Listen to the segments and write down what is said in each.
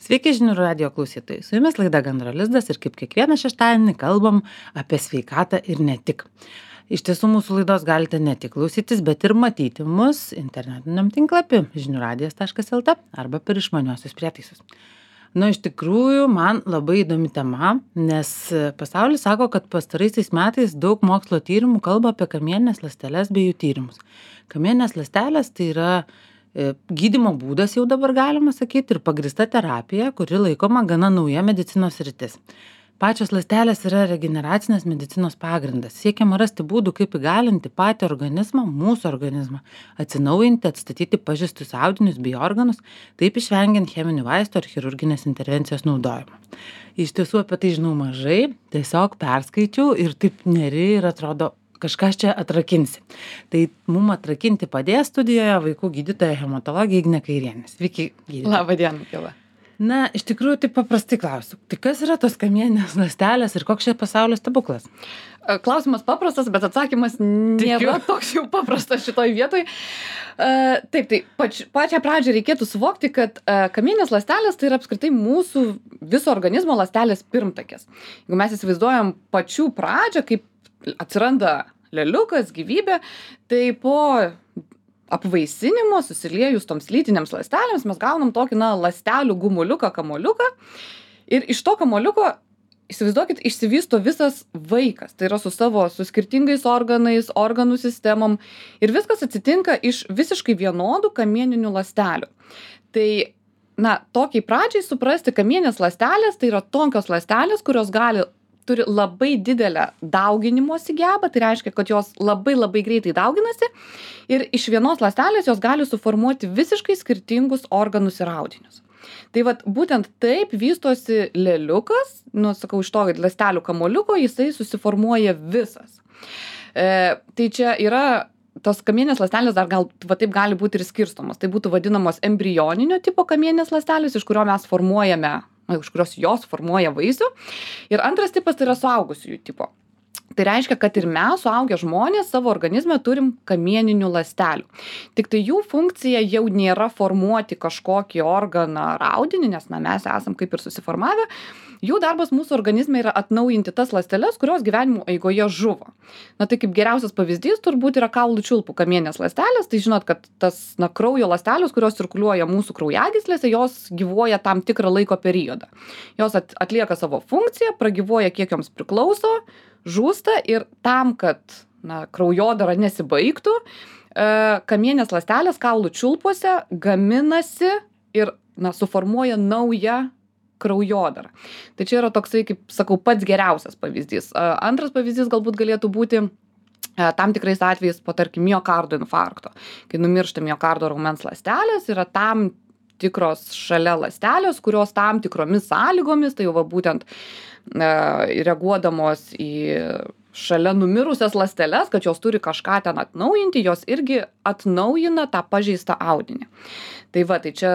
Sveiki žinių radijo klausytojai. Su jumis laida Gandro lizdas ir kaip kiekvieną šeštadienį kalbam apie sveikatą ir ne tik. Iš tiesų mūsų laidos galite ne tik klausytis, bet ir matyti mus internetiniam tinklapį žiniųradijas.lt arba per išmaniuosius prietaisus. Iš tikrųjų, man labai įdomi tema, nes pasaulis sako, kad pastaraisiais metais daug mokslo tyrimų kalba apie kamieninės ląsteles bei jų tyrimus. Kamieninės ląstelės tai yra gydymo būdas, jau dabar galima sakyti, ir pagrįsta terapija, kuri laikoma gana nauja medicinos sritis. Pačios ląstelės yra regeneracinės medicinos pagrindas. Siekiama rasti būdų, kaip įgalinti patį organizmą, mūsų organizmą, atsinaujinti, atstatyti pažeistus audinius bei organus, taip išvengiant cheminių vaistų ar chirurginės intervencijos naudojimo. Iš tiesų apie tai žinau mažai, tiesiog perskaičiau ir taip neri ir atrodo, kažkas čia atrakinsi. Tai mum atrakinti padės studijoje vaikų gydytoja hematologė Ignė Kairienė. Sveiki, gydytoja. Labą dieną, Kila. Iš tikrųjų, tai paprastai klausiu. Tai kas yra tos kamieninės ląstelės ir koks čia pasaulio stebuklas? Klausimas paprastas, bet atsakymas nėra toks jau paprastas šitoj vietoj. Tai pačią pradžią reikėtų suvokti, kad kamieninės ląstelės tai yra apskritai mūsų viso organizmo ląstelės pirmtakės. Jeigu mes įsivaizduojam pačių pradžią, kaip atsiranda leliukas, gyvybė, tai po apvaisinimo susiliejus toms lytinėms ląstelėms mes gaunam tokį ląstelių gumuliuką, kamoliuką ir iš to kamoliuko, įsivaizduokit, išsivysto visas vaikas. Tai yra su skirtingais organais, organų sistemom ir viskas atsitinka iš visiškai vienodų kamieninių ląstelių. Tai tokiai pradžiai suprasti, kamieninės ląstelės tai yra tokios ląstelės, kurios turi labai didelę dauginimosi gebą, tai reiškia, kad jos labai labai greitai dauginasi ir iš vienos ląstelės jos gali suformuoti visiškai skirtingus organus ir audinius. Tai būtent taip vystosi leliukas, iš to ląstelių kamoliuko jisai susiformuoja visas. Tai čia yra tos kamieninės ląstelės dar taip gali būti ir skirstomos. Tai būtų vadinamos embrioninio tipo kamieninės ląstelės, iš kurios jos formuoja vaisių. Ir antras tipas tai yra suaugusiųjų tipo. Tai reiškia, kad ir mes, suaugę žmonės, savo organizme turim kamieninių ląstelių. Tik tai jų funkcija jau nėra formuoti kažkokį organą ar audinį, nes mes esam kaip ir susiformavę. Jų darbas mūsų organizme yra atnaujinti tas ląsteles, kurios gyvenimo eigoje žuvo. Tai kaip geriausias pavyzdys turbūt yra kaulų čiulpų kamieninės ląstelės. Tai žinot, kad tas kraujo ląstelės, kurios cirkuliuoja mūsų kraujagyslėse, jos gyvuoja tam tikrą laiko periodą. Jos atlieka savo funkciją, pragyvuoja kiek joms priklauso, žūsta ir tam, kad kraujodara nesibaigtų, kamieninės ląstelės kaulų čiulpuose gaminasi ir suformuoja naują kraujodarą. Tai čia yra toksai, kaip sakau, pats geriausias pavyzdys. Antras pavyzdys galbūt galėtų būti tam tikrais atvejais po, tarkim, miokardo infarkto. Kai numiršta miokardo raumens ląstelės, yra tam tikros šalia ląstelės, kurios tam tikromis sąlygomis, tai jau būtent reaguodamos į šalia numirusias ląsteles, kad jos turi kažką ten atnaujinti, jos irgi atnaujina tą pažeistą audinį. Tai čia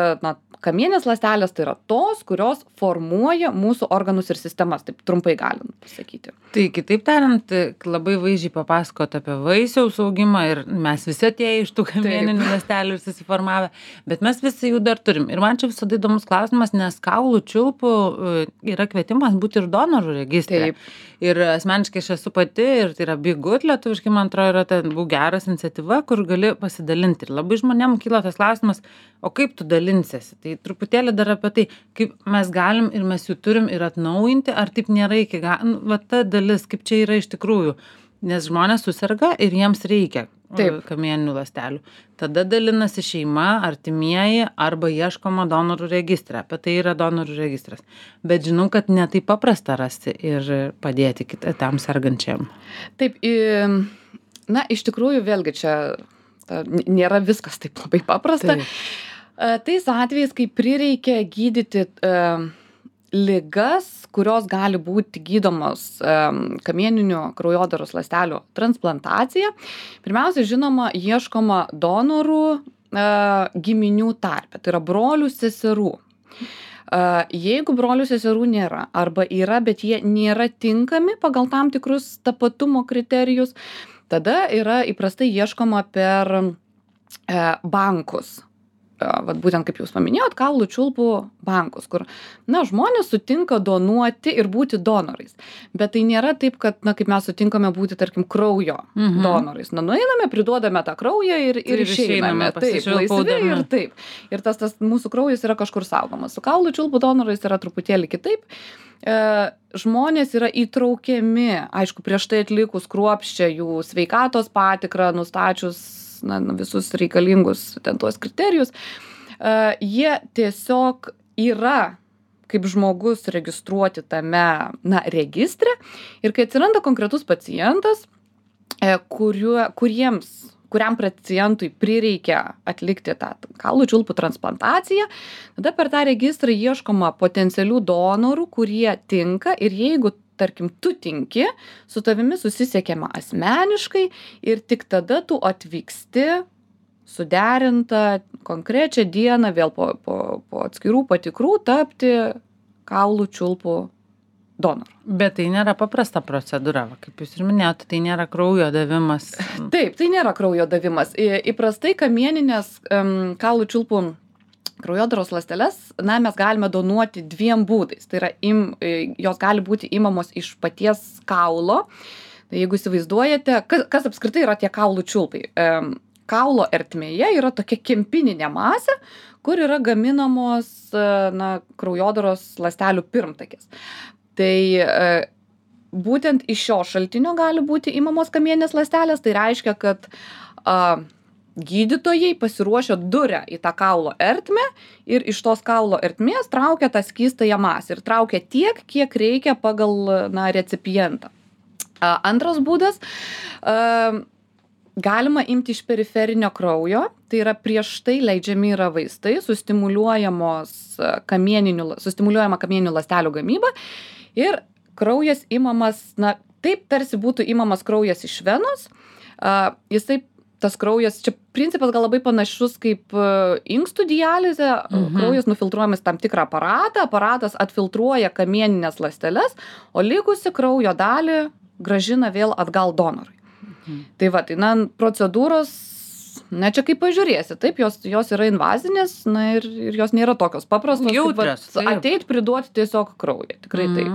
kamieninės ląstelės tai yra tos, kurios formuoja mūsų organus ir sistemas, taip trumpai galint pasakyti. Tai kitaip tariant, labai vaizdžiai papasakot apie vaisiaus augimą ir mes visi atėję iš tų kamieninių ląstelių ir susiformavę, bet mes visi jų dar turim. Ir man čia visada įdomus klausimas, nes kaulų čiulpų yra kvietimas būti ir donorų registre. Taip. Ir asmeniškai aš esu pati ir tai yra Be Good lietuviškai, man atrodo, yra ta Būk geras iniciatyva, kur gali pasidalinti. Ir labai žmonėm kyla tas klausimas, o kaip tu dalinsiesi? Tai truputėlį dar apie tai, kaip mes galim ir mes jų turim ir atnaujinti, ar taip nėra iki galo, ta dalis, kaip čia yra iš tikrųjų, nes žmonės susirga ir jiems reikia kamieninių ląstelių. Tada dalinasi šeima, artimieji arba ieškoma donorų registre. Apie tai yra donorų registras. Bet žinau, kad ne taip paprasta rasti ir padėti tam sergančiam. Taip, iš tikrųjų vėlgi čia nėra viskas taip labai paprasta. Tais atvejais, kai prireikia gydyti ligas, kurios gali būti gydomos kamieninių kraujodaros ląstelių transplantacija, pirmiausia, žinoma, ieškoma donorų giminių tarpe, tai yra brolių, seserų. Jeigu brolių, seserų nėra, arba yra, bet jie nėra tinkami pagal tam tikrus tapatumo kriterijus, tada yra įprastai ieškoma per bankus. vat būtent kaip jūs paminėjot, kaulų čiulpų bankus, kur, na, žmonės sutinka donuoti ir būti donorais. Bet tai nėra taip, kad, na, kaip mes sutinkame būti, tarkim, kraujo donorais. Na, nueiname, priduodame tą kraują ir išeiname. Taip, laisvi ir taip. Ir tas mūsų kraujas yra kažkur saugomas. Su kaulų čiulpų donorais yra truputėlį kitaip. Žmonės yra įtraukiami, aišku, prieš tai atlikus kruopščią jų sveikatos patikrą, nustačius visus reikalingus ten tuos kriterijus, jie tiesiog yra kaip žmogus registruoti tame, registre, ir kai atsiranda konkretus pacientas, kuriam pacientui prireikia atlikti tą kaulų čiulpų transplantaciją, tada per tą registrą ieškoma potencialių donorų, kurie tinka, ir jeigu tarkim, tu tinki, su tavimi susisiekiama asmeniškai ir tik tada tu atvyksti suderintą konkrečią dieną vėl po atskirų patikrų tapti kaulų čiulpų donoru. Bet tai nėra paprasta procedūra, kaip jūs ir minėjote, tai nėra kraujo davimas. Taip, tai nėra kraujo davimas. Įprastai kamieninės kaulų čiulpų kraujodaros ląsteles, mes galime donuoti dviem būdais. Tai yra, jos gali būti imamos iš paties kaulo. Tai jeigu įsivaizduojate, kas apskritai yra tie kaulų čiulpai. Kaulo ertmėje yra tokia kempininė masė, kur yra gaminamos kraujodaros ląstelių pirmtakės. Tai būtent iš šio šaltinio gali būti imamos kamieninės ląstelės. Tai reiškia, kad gydytojai pasiruošia duria į tą kaulo ertmę ir iš tos kaulo ertmės traukia tą skystąją masę ir traukia tiek, kiek reikia pagal recipientą. Antras būdas, galima imti iš periferinio kraujo, tai yra prieš tai leidžiami yra vaistai, sustimuliuojama kamieninių ląstelių gamyba ir kraujas imamas, taip tarsi būtų imamas kraujas iš venos, tas kraujas, čia principas gal labai panašus kaip inkstų dializė, kraujas nufiltruojamas tam tikrą aparatą, aparatas atfiltruoja kamieninės ląsteles, o likusi kraujo dalį grąžina vėl atgal donorui. Tai va, procedūros, čia kaip pažiūrėsi, taip, jos yra invazinės, ir jos nėra tokios paprastos, jautrios, ateit priduoti tiesiog kraują, tikrai taip.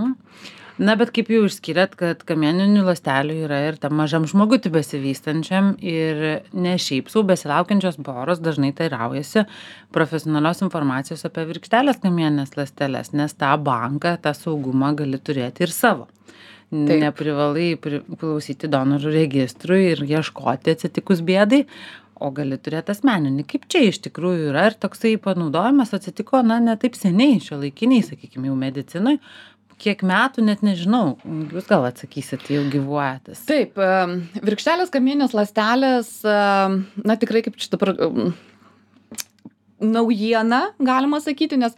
Bet kaip jau išskyrėt, kad kamieninių ląstelių yra ir tam mažam žmogutį besivystančiam ir ne šiaip sau besilaukiančios poros dažnai teiraujasi profesionalios informacijos apie virkštelės kamieninės ląsteles, nes tą banką, tą saugumą gali turėti ir savo. Taip. Neprivalai priklausyti donorų registrui ir ieškoti atsitikus bėdai, o gali turėti asmeninį. Kaip čia iš tikrųjų yra ir toksai panaudojimas atsitiko, ne taip seniai, šiuolaikiniai, sakykime, jau medicinoj. Kiek metų, net nežinau, jūs gal atsakysit, jau gyvuojatis. Taip, virkštelės kamieninės ląstelės, tikrai kaip čia dabar naujiena, galima sakyti, nes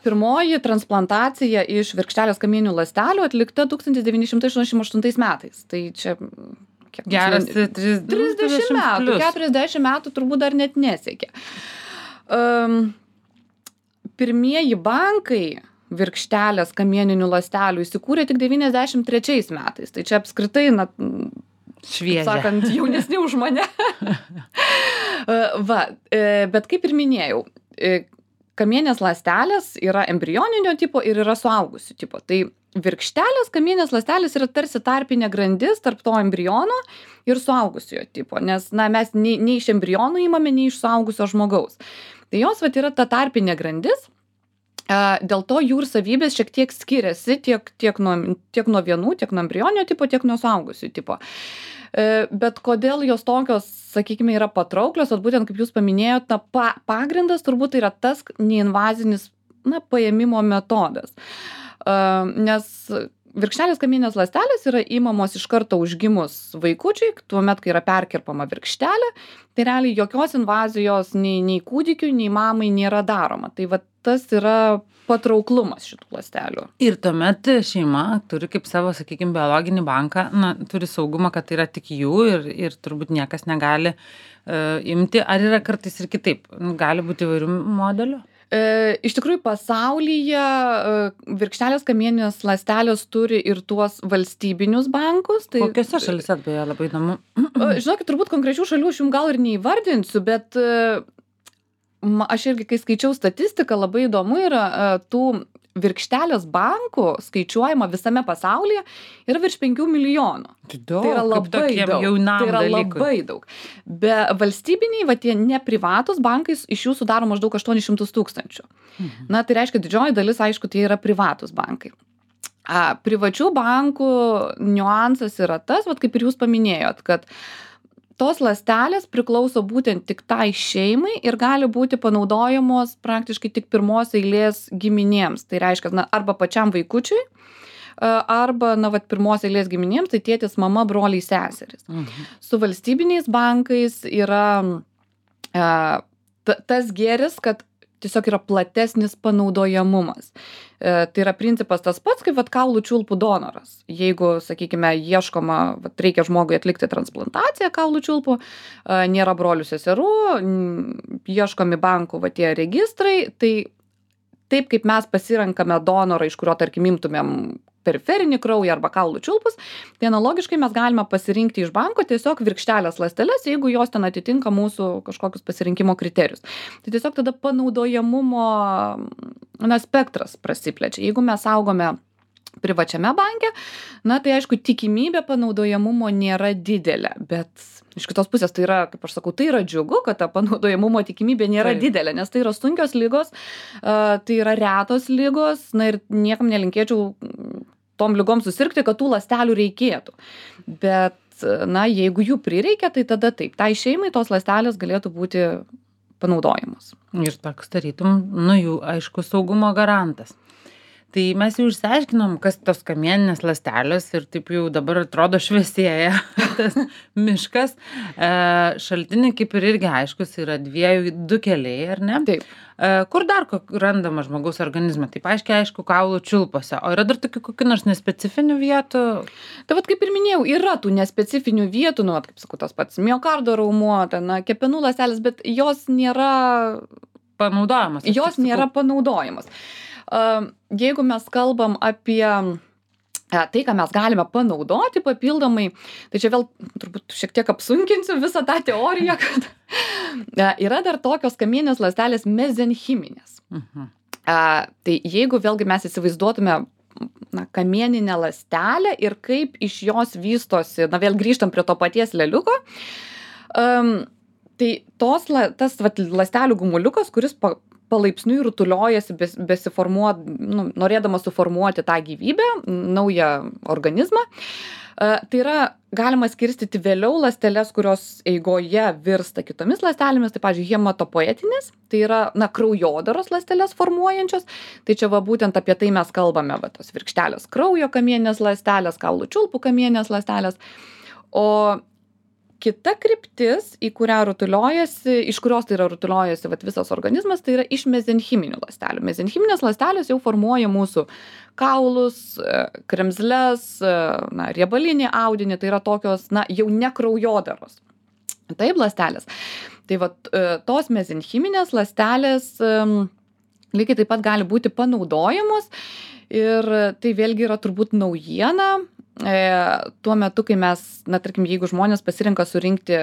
pirmoji transplantacija iš virkštelės kamieninių ląstelių atlikta 1988 metais. Tai čia geras 30 metų, 40 metų turbūt dar net nesiekė. Pirmieji bankai virkštelės kamieninių ląstelių įsikūrė tik 93 metais. Tai čia apskritai, šviežia. Sakant, jaunesni už mane. Bet kaip ir minėjau, kamieninės ląstelės yra embrioninio tipo ir yra suaugusių tipo. Tai virkštelės kamieninės ląstelės yra tarsi tarpinė grandis tarp to embriono ir suaugusiojo tipo, nes mes nei iš embriono imame, nei iš suaugusio žmogaus. Tai jos yra ta tarpinė grandis. Dėl to jų ir savybės šiek tiek skiriasi tiek nuo vienų, tiek nuo embrioninio tipo, tiek nuo suaugusių tipo. Bet kodėl jos tokios, sakykime, yra patrauklios, būtent kaip jūs paminėjote, pagrindas turbūt yra tas neinvazinis paėmimo metodas. Nes virkštelės kamieninės ląstelės yra imamos iš karto užgimus vaikučiai, tuomet, kai yra perkirpama virkštelė, tai realiai jokios invazijos nei kūdikiui, nei mamai nėra daroma. Tai tas yra patrauklumas šitų ląstelių. Ir tuomet šeima turi kaip savo, sakykime, biologinį banką, turi saugumą, kad tai yra tik jų ir turbūt niekas negali imti. Ar yra kartais ir kitaip? Gali būti įvairių modelių? Iš tikrųjų, pasaulyje virkštelės kamieninės ląstelės turi ir tuos valstybinius bankus. Tai, kokiose šalyse, beje, labai įdomu? Žinokit, turbūt konkrečių šalių aš jums gal ir neįvardinsiu, bet aš irgi, kai skaičiau statistiką, labai įdomu yra tų virkštelės bankų skaičiuojama visame pasaulyje yra virš 5 milijonų. Tai yra labai daug. Tai yra dalykui. labai daug. Be valstybiniai, va tie neprivatus bankai iš jų sudaro maždaug 800 tūkstančių. Na, tai reiškia, didžioji dalis, aišku, tai yra privatus bankai. Privačių bankų niuansas yra tas, vat kaip ir jūs paminėjot, kad tos ląstelės priklauso būtent tik tai šeimai ir gali būti panaudojamos praktiškai tik pirmos eilės giminėms. Tai reiškia, na, arba pačiam vaikučiui, arba, na, vat pirmos eilės giminėms, tai tėtis, mama, broliai, seserys. Su valstybiniais bankais yra tas gėris, kad tiesiog yra platesnis panaudojamumas. Tai yra principas tas pats, kaip vat kaulų čiulpų donoras. Jeigu, sakykime, ieškoma, vat reikia žmogui atlikti transplantaciją kaulų čiulpų, nėra brolių seserų, ieškomi bankų va tie registrai, tai taip kaip mes pasirenkame donorą, iš kurio, tarkim, imtumėm periferinį kraują arba kaulų čiulpus, tai analogiškai mes galime pasirinkti iš banko tiesiog virkštelės ląsteles, jeigu jos ten atitinka mūsų kažkokius pasirinkimo kriterijus. Tai tiesiog tada panaudojamumo spektras prasiplečia. Jeigu mes saugome privačiame banke, na tai aišku, tikimybė panaudojamumo nėra didelė, bet iš kitos pusės tai yra, kaip aš sakau, tai yra džiugu, kad ta panaudojamumo tikimybė nėra didelė, nes tai yra sunkios ligos, tai yra retos ligos, na ir niekam nelinkėčiau tom ligom susirgti, kad tų ląstelių reikėtų. Bet, na, jeigu jų prireikia, tai tada taip, tai šeimai tos ląstelės galėtų būti panaudojamos. Ir toks tarytum, nu, jų, aišku, saugumo garantas. Tai mes jau išsiaiškinom, kas tos kamieninės ląstelės ir taip jau dabar atrodo šviesėja tas miškas. Šaltiniai kaip ir irgi aiškus yra du keliai, ar ne? Taip. Kur dar randama žmogaus organizme? Taip aišku, kaulų čiulpuose. O yra dar kokių nors nespecifinių vietų? Tai vat kaip ir minėjau, yra tų nespecifinių vietų, nu, vat, kaip sakau, tas pats miokardo raumuo, ten, kepenų ląstelės, bet jos nėra panaudojamos. Jos nėra panaudojamos. Jeigu mes kalbam apie tai, ką mes galime panaudoti papildomai, tai čia vėl turbūt šiek tiek apsunkinsiu visą tą teoriją, kad yra dar tokios kamieninės ląstelės mezenchiminės. Tai jeigu vėlgi mes įsivaizduotume kamieninę ląstelę ir kaip iš jos vystosi, na vėl grįžtam prie to paties leliuko, tai tas ląstelių gumuliukas, kuris palaipsniui rutuliojasi, norėdamas suformuoti tą gyvybę, naują organizmą. Tai yra galima skirstyti vėliau ląsteles, kurios eigoje virsta kitomis ląstelėmis, tai, pavyzdžiui, hematopoietinės, tai yra, kraujodaros ląsteles formuojančios. Tai čia būtent apie tai mes kalbame, tos virkštelės kraujo kamieninės ląstelės, kaulų čiulpų kamieninės ląstelės. O kita kryptis, į kurią iš kurios tai yra rutuliojasi visas organizmas, tai yra iš mezenchiminių ląstelių. Mezenchiminės ląstelės jau formuoja mūsų kaulus, kremzles, riebalinį audinį, tai yra tokios, jau ne kraujodaros. Taip, ląstelės. Tai tos mezenchiminės ląstelės lygiai taip pat gali būti panaudojamos ir tai vėlgi yra turbūt naujiena. Tuo metu, kai mes, tarkim, jeigu žmonės pasirenka surinkti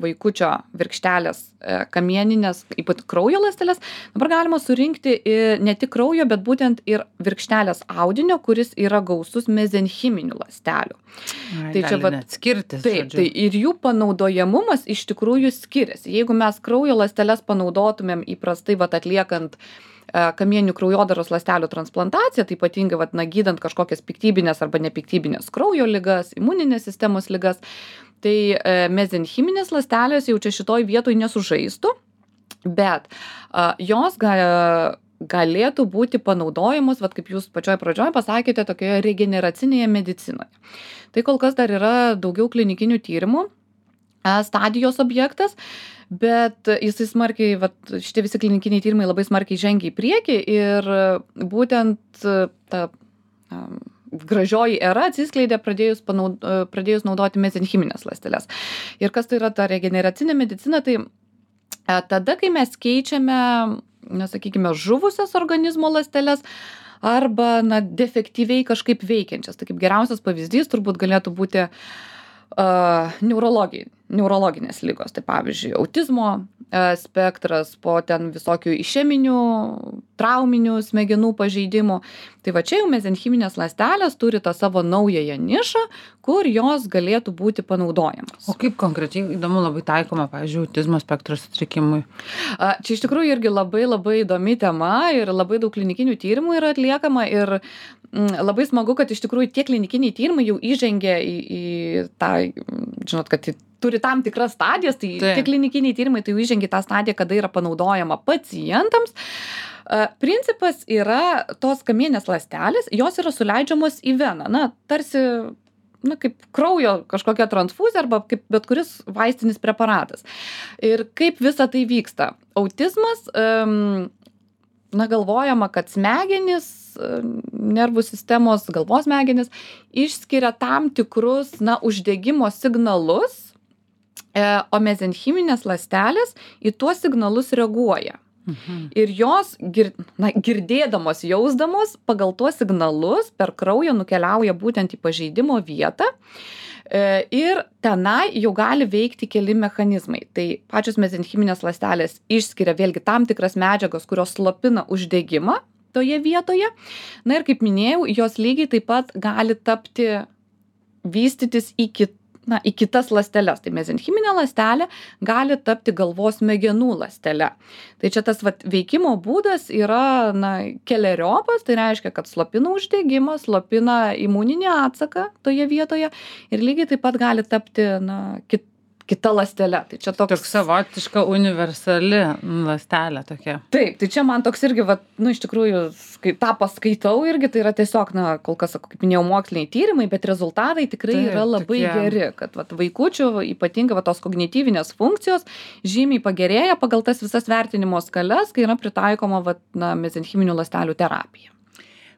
vaikučio virkštelės kamieninės, ypač kraujo ląsteles, dabar galima surinkti ne tik kraujo, bet būtent ir virkštelės audinio, kuris yra gausus mezenchiminių ląstelių. Tai čia net skirtis. Taip, tai ir jų panaudojamumas iš tikrųjų skiriasi. Jeigu mes kraujo ląsteles panaudotumėm įprastai atliekant kamieninių kraujodaros ląstelių transplantaciją, tai ypatingai gydant kažkokias piktybinės arba nepiktybinės kraujo ligas, imuninės sistemos ligas, tai mezenchiminės ląstelės jau čia šitoj vietoj nesužaistų, bet jos galėtų būti panaudojamos, kaip jūs pačioj pradžioj pasakėte, tokioje regeneracinėje medicinoje. Tai kol kas dar yra daugiau klinikinių tyrimų stadijos objektas, bet jisai smarkiai, šitie visi klinikiniai tyrimai labai smarkiai žengia į priekį ir būtent ta gražioji era atsiskleidė pradėjus naudoti mezenchimines ląsteles. Ir kas tai yra ta regeneracinė medicina, tai tada, kai mes keičiame, sakykime, žuvusias organizmo ląsteles arba defektyviai kažkaip veikiančias. Tai kaip geriausias pavyzdys turbūt galėtų būti neurologija. neurologinės ligos, tai pavyzdžiui, autizmo spektras, po ten visokių išeminių, trauminių smegenų pažeidimų. Tai va čia jau mezenchiminės ląstelės turi tą savo naująją nišą, kur jos galėtų būti panaudojamos. O kaip konkrečiai įdomu labai taikoma, pavyzdžiui, autizmo spektro sutrikimui? Čia iš tikrųjų irgi labai labai įdomi tema ir labai daug klinikinių tyrimų yra atliekama ir labai smagu, kad iš tikrųjų tie klinikiniai tyrimai jau įžengia į tą, žinot, kad turi tam tikras stadijas, tai tie klinikiniai tyrimai tai jau įžengia į tą stadiją, kada yra panaudojama pacientams. Principas yra tos kamienės ląstelės, jos yra suleidžiamos į veną, na, tarsi, na, kaip kraujo kažkokia transfuzija arba kaip bet kuris vaistinis preparatas. Ir kaip visa tai vyksta? Autizmas, na, galvojama, kad smegenys, nervų sistemos, galvos smegenys išskiria tam tikrus, na, uždegimo signalus, o mezenchiminės ląstelės į tuos signalus reaguoja. Ir jos, girdėdamos, jausdamos, pagal tuos signalus per kraują nukeliauja būtent į pažeidimo vietą ir tenai jau gali veikti keli mechanizmai. Tai pačios mezenchiminės ląstelės išskiria vėlgi tam tikras medžiagas, kurios slopina uždegimą toje vietoje. Na ir kaip minėjau, jos lygiai taip pat gali vystytis į kitas ląsteles. Tai mezenchiminė ląstelė gali tapti galvos smegenų ląstele. Tai čia tas veikimo būdas yra keleriopas, tai reiškia, kad slopina uždegimą, slopina imuninį atsaką toje vietoje ir lygiai taip pat gali tapti kita ląstele. Tai čia toks savotiška universali ląstelė tokia. Taip, tai čia man toks irgi, iš tikrųjų, kai tą paskaitau irgi, tai yra tiesiog, kol kas, kaip minėjau, moksliniai tyrimai, bet rezultatai tikrai yra labai geri, kad vaikučių, ypatingai tos kognityvinės funkcijos, žymiai pagerėja pagal tas visas vertinimo skales, kai yra pritaikoma mezenchiminių ląstelių terapija.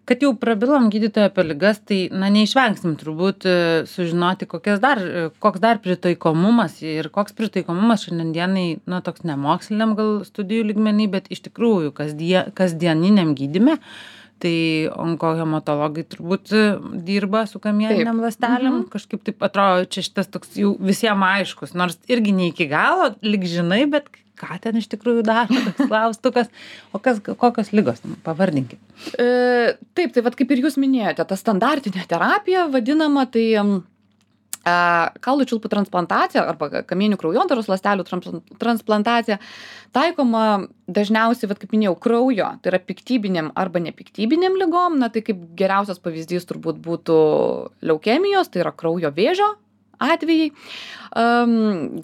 Kad jau prabilom gydytoją apie ligas, tai neišvengsim turbūt sužinoti, koks dar pritaikomumas ir koks pritaikomumas šiandienai, toks nemoksliniam gal studijų lygmenį, bet iš tikrųjų kasdieniniam gydyme. Tai onkohematologai turbūt dirba su kamieniniam ląstelėm. Kažkaip taip atrodo, čia šitas toks jau visiems aiškus, nors irgi ne iki galo, lyg žinai, bet ką ten iš tikrųjų daro, toks klaustukas. O kokios ligos, pavardinkit. Taip, tai kaip ir jūs minėjote, ta standartinė terapija vadinama, tai kaulų čiulpų transplantacija arba kamieninių kraujodaros ląstelių transplantacija taikoma dažniausiai, kaip minėjau, kraujo, tai yra piktybinėm arba nepiktybinėm ligom. Na, tai kaip geriausias pavyzdys turbūt būtų leukemijos, tai yra kraujo vėžio atvejai.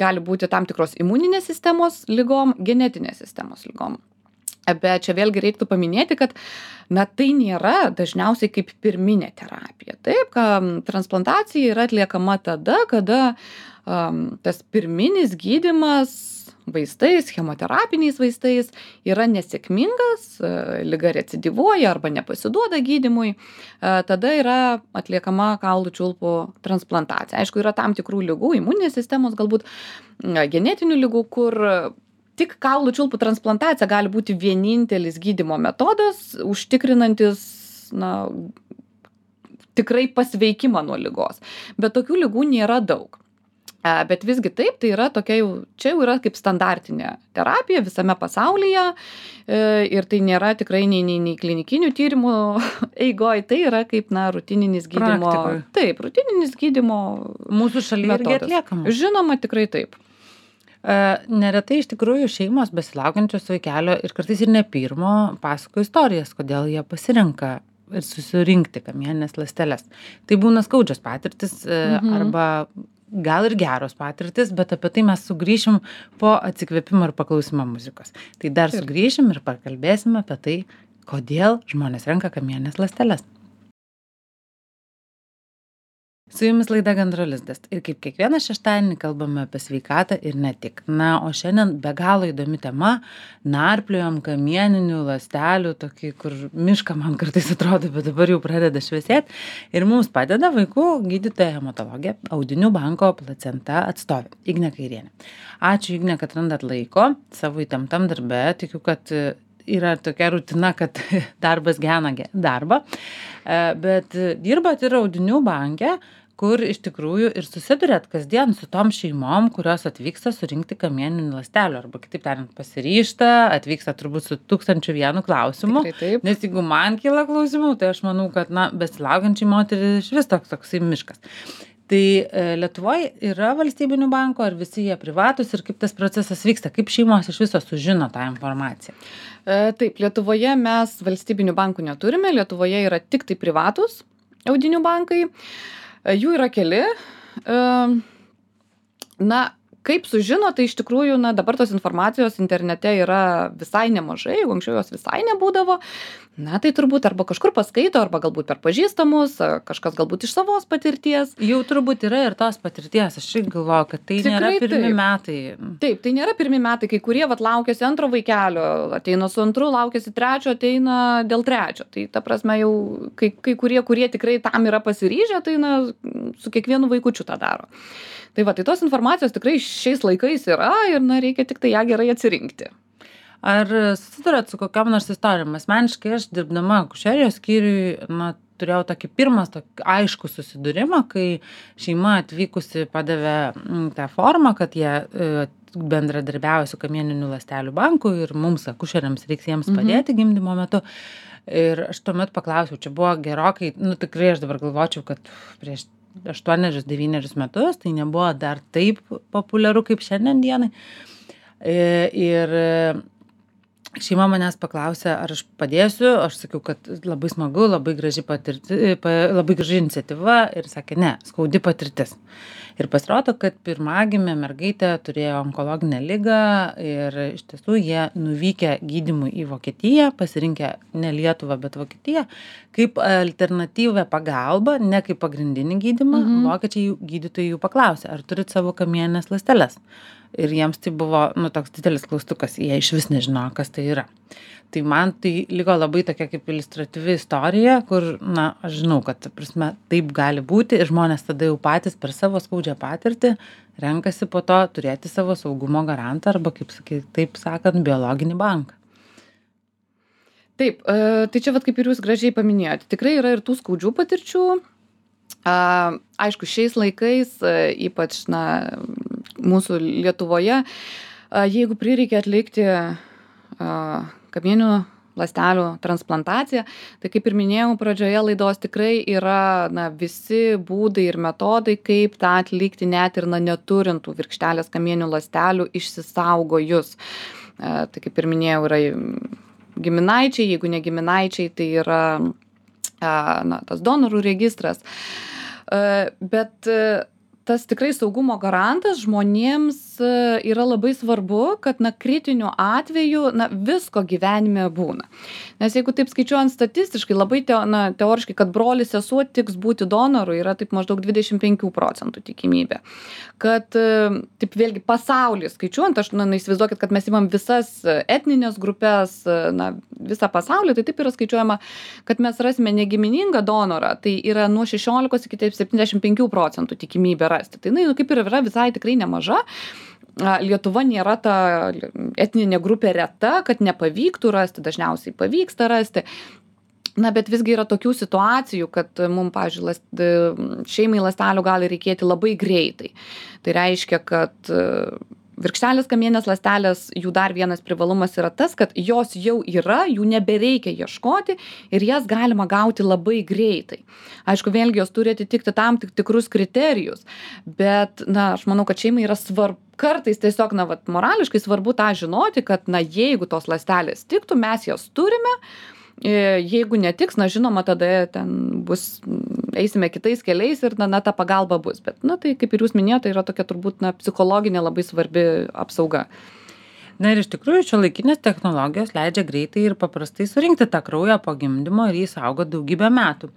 Gali būti tam tikros imuninės sistemos ligom, genetinės sistemos ligom. Bet čia vėlgi reiktų paminėti, kad tai nėra dažniausiai kaip pirminė terapija. Taip, transplantacija yra atliekama tada, kada tas pirminis gydymas vaistais, chemoterapiniais vaistais yra nesėkmingas, liga recidyvuoja arba nepasiduoda gydymui, tada yra atliekama kaulų čiulpų transplantacija. Aišku, yra tam tikrų ligų, imuninės sistemos, galbūt genetinių ligų, kur tik kaulų čiulpų transplantacija gali būti vienintelis gydymo metodas, užtikrinantis tikrai pasveikimą nuo ligos. Bet tokių ligų nėra daug. Bet visgi taip, tai yra tokia čia jau yra kaip standartinė terapija visame pasaulyje ir tai nėra tikrai nei klinikinių tyrimų eigoj, tai yra kaip rutininis gydymo. Praktikoj. Taip, rutininis gydymo Mūsų šalyje irgi atliekama. Žinoma, tikrai taip. Neretai iš tikrųjų šeimos besilaukiančios vaikelio ir kartais ir ne pirmo pasako istorijas, kodėl jie pasirenka ir susirinkti kamieninės ląsteles. Tai būna skaudžios patirtis arba gal ir geros patirtis, bet apie tai mes sugrįšim po atsikvėpimo ir paklausimo muzikos. Tai dar sugrįšim ir pakalbėsim apie tai, kodėl žmonės renka kamienines ląsteles. Su jumis laida Gandro lizdas ir kaip kiekvieną šeštadienį kalbame apie sveikatą ir ne tik. O šiandien be galo įdomi tema, narpliojam kamieninių ląstelių, tokį, kur mišką man kartais atrodo, bet dabar jau pradeda šviesėti. Ir mums padeda vaikų gydytoja hematologė, Audinių banko Placenta atstovė Ignė Kairienė. Ačiū, Ignė, kad randat laiko savo įtemptam darbe. Tikiu, kad yra tokia rutina, kad darbas gena darbą, bet dirbat ir Audinių banke, kur iš tikrųjų ir susiduriat kasdien su tom šeimom, kurios atvyksta surinkti kamieninių ląstelių, arba kitaip tariant pasiryžta, atvyksta turbūt su 1001 klausimu. Tikrai taip. Nes jeigu man kyla klausimų, tai aš manau, kad, besilaukiančiai moteriai iš vis toksai miškas. Tai Lietuvoje yra valstybinių bankų, ar visi jie privatus ir kaip tas procesas vyksta, kaip šeimos iš viso sužino tą informaciją? Taip, Lietuvoje mes valstybinių bankų neturime, Lietuvoje yra tik tai privatus audinių bankai. Jų yra keli. Na, kaip sužino, tai iš tikrųjų, dabar tos informacijos internete yra visai nemažai, jeigu anksčiau jos visai nebūdavo. Tai turbūt arba kažkur paskaito, arba galbūt per pažįstamus, kažkas galbūt iš savos patirties. Jau turbūt yra ir tos patirties, aš irgi galvoju, kad tai nėra pirmi metai. Taip, tai nėra pirmi metai, kai kurie laukiasi antro vaikelio, ateina su antru, laukiasi trečio, ateina dėl trečio. Tai ta prasme jau kai kurie tikrai tam yra pasiryžę, tai su kiekvienu vaikučiu tą daro. Tai tos informacijos tikrai šiais laikais yra ir reikia tik tai ją gerai atsirinkti. Ar susidurėt su kokiam nors istorijom? Asmeniškai aš dirbdama akušerijos skyriui, turėjau tokį aiškų susidūrimą, kai šeima atvykusi padavė tą formą, kad jie bendradarbiauja su kamieninių ląstelių banku ir mums akušeriams reiks jiems padėti gimdymo metu. Ir aš tuomet paklausiau, čia buvo gerokai, tikrai aš dabar galvočiau, kad prieš 8-9 metus, tai nebuvo dar taip populiaru kaip šiandien dienai. Ir šeima manęs paklausė, ar aš padėsiu, aš sakiau, kad labai smagu, labai graži iniciatyva ir sakė, ne, skaudi patirtis. Ir pasirodo, kad pirmagimė mergaitė turėjo onkologinę ligą ir iš tiesų jie nuvykę gydymui į Vokietiją, pasirinkę ne Lietuvą, bet Vokietiją, kaip alternatyvę pagalbą, ne kaip pagrindinį gydymą, vokiečiai gydytojai jų paklausė, ar turit savo kamieninės ląsteles. Ir jiems tai buvo toks didelis klaustukas, jie iš vis nežinojo, kas tai yra. Tai man tai liko labai tokia kaip iliustratyvi istorija, kur, aš žinau, kad, prasme, taip gali būti ir žmonės tada jau patys per savo skaudžią patirtį renkasi po to turėti savo saugumo garantą arba, taip sakant, biologinį banką. Taip, tai čia kaip ir jūs gražiai paminėjote, tikrai yra ir tų skaudžių patirčių. Aišku, šiais laikais, ypač mūsų Lietuvoje, jeigu prireikia atlikti kamieninių ląstelių transplantaciją, tai kaip ir minėjau pradžioje laidos, tikrai yra visi būdai ir metodai, kaip tą atlikti net ir neturintų virkštelės kamieninių ląstelių išsisaugojus. Tai kaip ir minėjau, yra giminaičiai, jeigu ne giminaičiai, tai yra tas donorų registras. Bet tas tikrai saugumo garantas žmonėms yra labai svarbu, kad kritiniu atveju visko gyvenime būna. Nes jeigu taip skaičiuojant statistiškai, labai teoriškai, kad brolis sesuo tiks būti donoru, yra taip maždaug 25% tikimybė. Kad taip vėlgi pasaulyje skaičiuojant, aš įsivaizduokit, kad mes imam visas etninės grupės, visą pasaulį, tai taip yra skaičiuojama, kad mes rasime negiminingą donorą, tai yra nuo 16 iki 75% tikimybė rasti. Tai kaip ir yra visai tikrai nemaža. Lietuva nėra ta etninė grupė reta, kad nepavyktų rasti, dažniausiai pavyksta rasti. Bet visgi yra tokių situacijų, kad mums, pavyzdžiui, šeimai ląstelių gali reikėti labai greitai. Tai reiškia, kad virkštelės kamieninės ląstelės, jų dar vienas privalumas yra tas, kad jos jau yra, jų nebereikia ieškoti ir jas galima gauti labai greitai. Aišku, vėlgi jos turi atitikti tam tikrus kriterijus, bet, aš manau, kad šeimai yra svarbu, kartais tiesiog, morališkai svarbu tą žinoti, kad, jeigu tos ląstelės tiktų, mes jas turime. Jeigu netiks, žinoma, tada ten eisime kitais keliais ir ta pagalba bus. Bet, tai kaip ir jūs minėjote, yra tokia turbūt psichologinė labai svarbi apsauga. Na ir iš tikrųjų šiuolaikinės technologijos leidžia greitai ir paprastai surinkti tą kraują po gimdymo ir jį saugoti daugybę metų.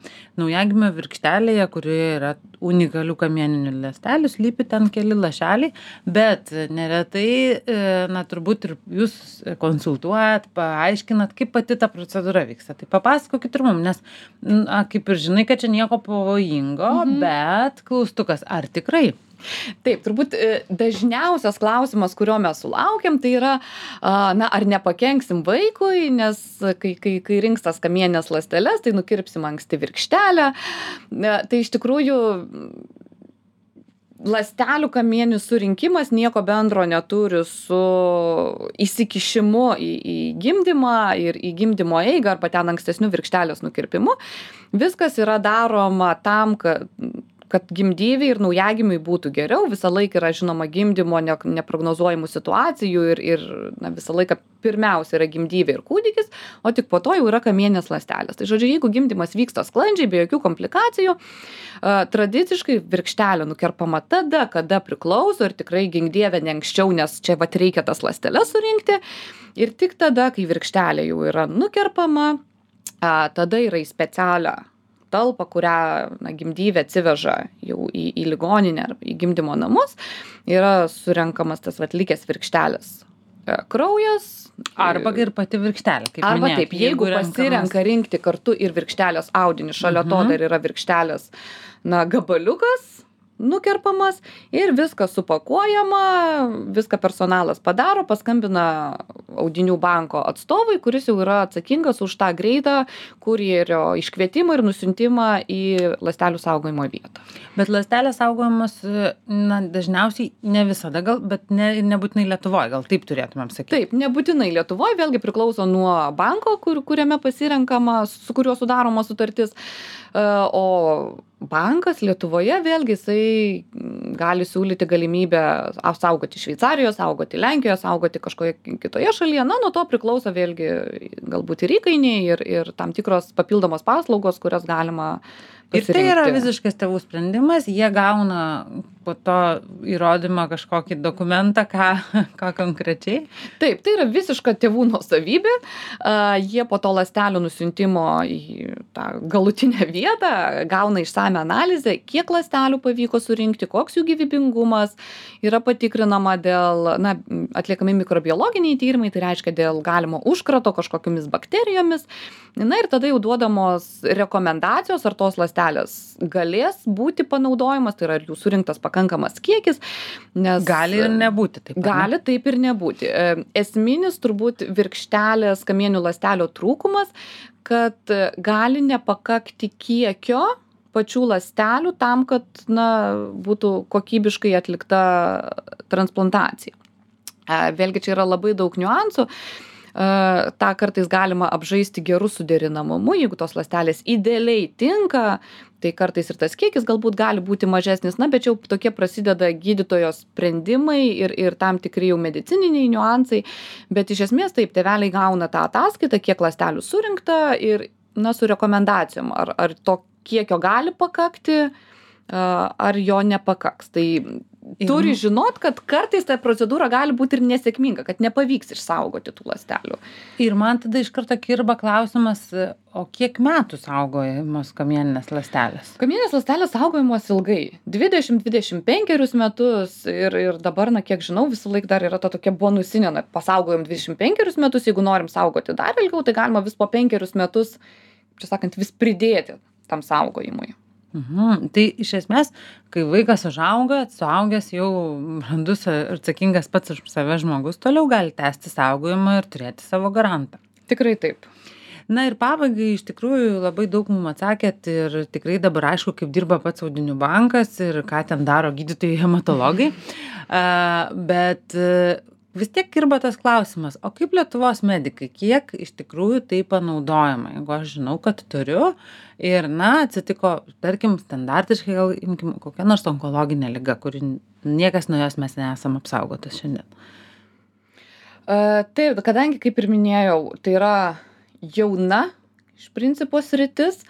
Naujagimio virkštelėje, kurioje yra unikalių kamieninių ląstelių, slypi ten keli lašeliai, bet neretai, turbūt ir jūs konsultuojat, paaiškinat, kaip pati ta procedūra vyksta. Tai papasakokit ir mums, nes kaip ir žinai, kad čia nieko pavojingo, bet klaustukas, ar tikrai? Taip, turbūt dažniausias klausimas, kurio mes sulaukiam, tai yra, ar nepakenksim vaikui, nes kai rinks tas kamienines ląsteles, tai nukirpsim anksti virkštelę. Tai iš tikrųjų ląstelių kamieninių surinkimas nieko bendro neturi su įsikišimu į gimdymą ir į gimdymo eigą arba ten ankstesnių virkštelės nukirpimu. Viskas yra daroma tam, kad gimdyvei ir naujagimiui būtų geriau. Visą laiką yra žinoma gimdymo neprognozuojamų situacijų ir visą laiką pirmiausia yra gimdyvė ir kūdikis, o tik po to jau yra kamieninės ląstelės. Tai žodžiu, jeigu gimdymas vyksta sklandžiai, be jokių komplikacijų, tradiciškai virkštelė nukerpama tada, kada priklauso ir tikrai gink dieve ne anksčiau, nes čia reikia tas ląsteles surinkti. Ir tik tada, kai virkštelė jau yra nukerpama, tada yra į specialią talpą, kurią gimdyvė atsiveža jau į ligoninę ar į gimdymo namus, yra surenkamas tas likęs virkštelės kraujas. Arba ir pati virkštelė, kaip arba minėjot. Taip, jeigu pasirenka rinkti kartu ir virkštelės audinį, šalia to dar yra virkštelės gabaliukas nukerpamas ir viskas supakuojama, viską personalas padaro, paskambina audinių banko atstovui, kuris jau yra atsakingas už tą greitą kurjerio iškvietimą ir nusiuntimą į ląstelių saugojimo vietą. Bet ląstelės saugojamos dažniausiai ne visada, bet nebūtinai Lietuvoje, gal taip turėtumėm sakyti. Taip, nebūtinai Lietuvoje, vėlgi priklauso nuo banko, kuriame pasirenkama, su kuriuo sudaroma sutartis, o bankas Lietuvoje vėlgi jisai gali siūlyti galimybę saugoti Šveicarijoje, saugoti Lenkijoje, saugoti kažkoje kitoje šalyje. Nuo to priklauso vėlgi galbūt ir įkainiai ir tam tikros papildomos paslaugos, kurias galima pasirinkti. Ir tai yra visiškas tėvų sprendimas, jie gauna po to įrodymą kažkokį dokumentą, ką konkrečiai. Taip, tai yra visiška tėvų nuosavybė. Jie po to ląstelių nusiuntimo į tą galutinę vietą gauna išsame analizę, kiek ląstelių pavyko surinkti, koks jų gyvybingumas, yra patikrinama dėl, atliekami mikrobiologiniai tyrimai, tai reiškia dėl galimo užkrato kažkokiamis bakterijomis. Ir tada jau duodamos rekomendacijos, ar tos ląstelės galės būti panaudojimas, tai yra jų surinktas pakankamas kiekis, nes gali ir nebūti taip. Gali taip ir nebūti. Esminis turbūt virkštelės kamieninių ląstelių trūkumas, kad gali nepakakti kiekio pačių ląstelių tam, kad būtų kokybiškai atlikta transplantacija. Vėlgi čia yra labai daug niuansų. tą kartais galima apžaisti geru suderinamumu, jeigu tos ląstelės idealiai tinka, tai kartais ir tas kiekis galbūt gali būti mažesnis, bet jau tokie prasideda gydytojo sprendimai ir tam tikri jau medicininiai niuansai, bet iš esmės taip, tėveliai gauna tą ataskaitą, kiek ląstelių surinkta ir su rekomendacijom, ar to kiekio gali pakakti, ar jo nepakaks. Tai turi žinot, kad kartais ta procedūra gali būti ir nesėkminga, kad nepavyks išsaugoti tų ląstelių. Ir man tada iš karto kirba klausimas, o kiek metų saugojamos kamieninės ląstelės? Kamieninės ląstelės saugojamos ilgai, 20-25 metus ir dabar, kiek žinau, visą laiką dar yra ta tokia bonusinė, pasaugojom 25 metus, jeigu norim saugoti dar ilgiau, tai galima vis po 5 metus, čia sakant, vis pridėti tam saugojimui. Tai iš esmės, kai vaikas užauga, suaugęs jau brandus ir atsakingas pats už save žmogus, toliau gali tęsti saugojimą ir turėti savo garantą. Tikrai taip. Ir pabaigai iš tikrųjų labai daug mums atsakėt ir tikrai dabar aišku, kaip dirba pats audinių bankas ir ką ten daro gydytojai hematologai. Bet vis tiek kirba tas klausimas, o kaip Lietuvos medikai, kiek iš tikrųjų tai panaudojama, jeigu aš žinau, kad turiu ir, atsitiko, tarkim, standartiškai, gal imkim kokią nors onkologinę ligą, kuri niekas nuo jos mes nesam apsaugotas šiandien. Taip, kadangi, kaip ir minėjau, tai yra jauna iš principo sritis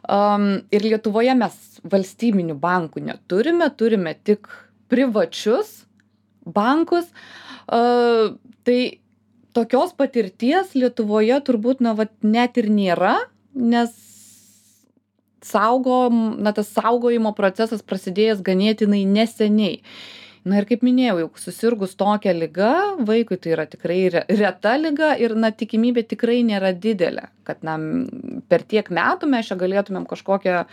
ir Lietuvoje mes valstybinių bankų neturime, turime tik privačius bankus. Tai tokios patirties Lietuvoje turbūt net ir nėra, nes tas saugojimo procesas prasidėjęs ganėtinai neseniai. Na ir kaip minėjau, jau susirgus tokia liga, vaikui tai yra tikrai reta liga ir na tikimybė tikrai nėra didelė, kad na per tiek metų mes čia galėtumėm kažkokią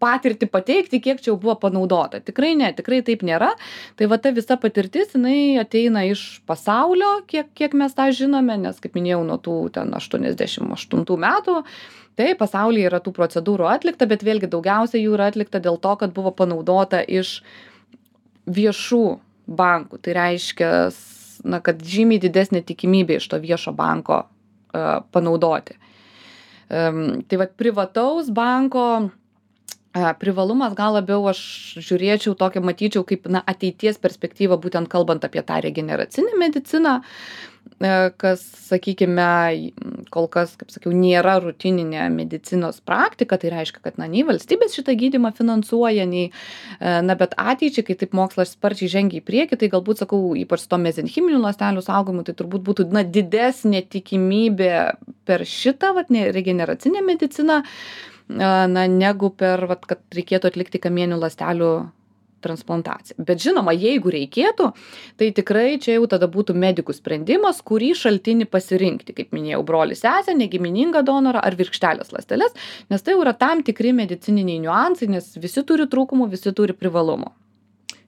patirtį pateikti, kiek čia jau buvo panaudota. Tikrai ne, tikrai taip nėra. Tai va ta visa patirtis, jinai ateina iš pasaulio, kiek mes tą žinome, nes kaip minėjau, nuo tų ten 88 metų, tai pasaulyje yra tų procedūrų atlikta, bet vėlgi daugiausia jų yra atlikta dėl to, kad buvo panaudota iš viešų bankų. Tai reiškia, na, kad žymiai didesnė tikimybė iš to viešo banko panaudoti. Tai va privataus banko privalumas gal labiau aš žiūrėčiau tokią, matyčiau kaip na, ateities perspektyvą, būtent kalbant apie tą regeneracinę mediciną, kas, sakykime, kol kas, kaip sakiau, nėra rutininė medicinos praktika, tai reiškia, kad na, nei valstybės šitą gydymą finansuoja, nei, na, bet ateičiai, kai taip mokslas sparčiai žengia į priekį, tai galbūt, sakau, ypač to mezenchiminių ląstelių saugojimu, tai turbūt būtų na, didesnė tikimybė per šitą vat, regeneracinę mediciną, na, negu per, vat, kad reikėtų atlikti kamieninių ląstelių transplantaciją. Bet žinoma, jeigu reikėtų, tai tikrai čia jau tada būtų medikų sprendimas, kurį šaltinį pasirinkti, kaip minėjau, brolį, sesę, negiminingą donorą ar virkštelės ląsteles, nes tai jau yra tam tikri medicininiai niuansai, nes visi turi trūkumų, visi turi privalumų.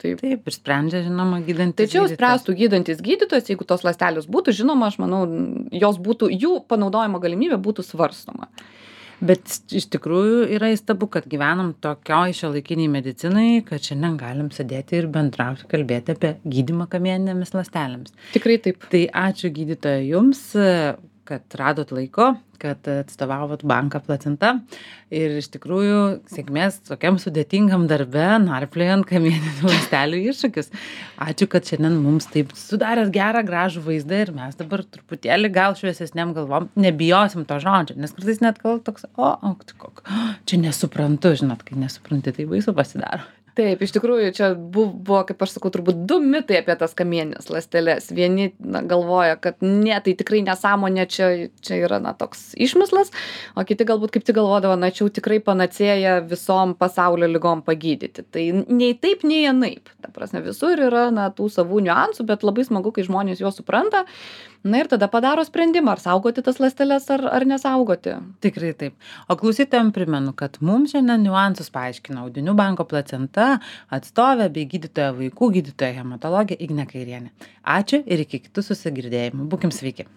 Taip, ir sprendžia, žinoma, gydantis. Tai čia jau spręstų gydantis gydytojas, jeigu tos ląstelės būtų, žinoma, aš manau, jų panaudojimo galimybė būtų svarstoma. Bet iš tikrųjų yra įstabu, kad gyvenam tokioj šiuolaikiniai medicinai, kad šiandien galim sėdėti ir bendrauti, kalbėti apie gydymą kamieninėmis ląstelėmis. Tikrai taip. Tai ačiū gydytoja jums, kad radot laiko, kad atstovavot banką Placenta ir iš tikrųjų sėkmės tokiam sudėtingam darbe, narpliojant kamieninių ląstelių iššūkius. Ačiū, kad šiandien mums taip sudarėt gerą, gražų vaizdą ir mes dabar truputėlį gal šviesesniam galvom nebijosim to žodžio, nes kartais net gal toks, čia nesuprantu, žinot, kai nesupranti, tai baisu pasidaro. Taip, iš tikrųjų, čia buvo, kaip aš sakau, turbūt 2 mitai apie tas kamieninės ląsteles. Vieni galvoja, kad ne, tai tikrai nesąmonė, čia yra na, toks išmislas, o kiti galbūt kaip tik galvodavo, na, čia jau tikrai panacėja visom pasaulio ligom pagydyti. Tai nei taip, nei anaip. Ta prasme, visur yra na, tų savų niuansų, bet labai smagu, kai žmonės juos supranta. Na ir tada padaro sprendimą, ar saugoti tas ląsteles, ar nesaugoti. Tikrai taip. O klausytojams primenu, kad mums šiandien niuansus paaiškino Audinių banko Placenta atstovė bei gydytoja vaikų gydytoja hematologė Ignė Kairienė. Ačiū ir iki kitų susigirdėjimų. Būkim sveiki.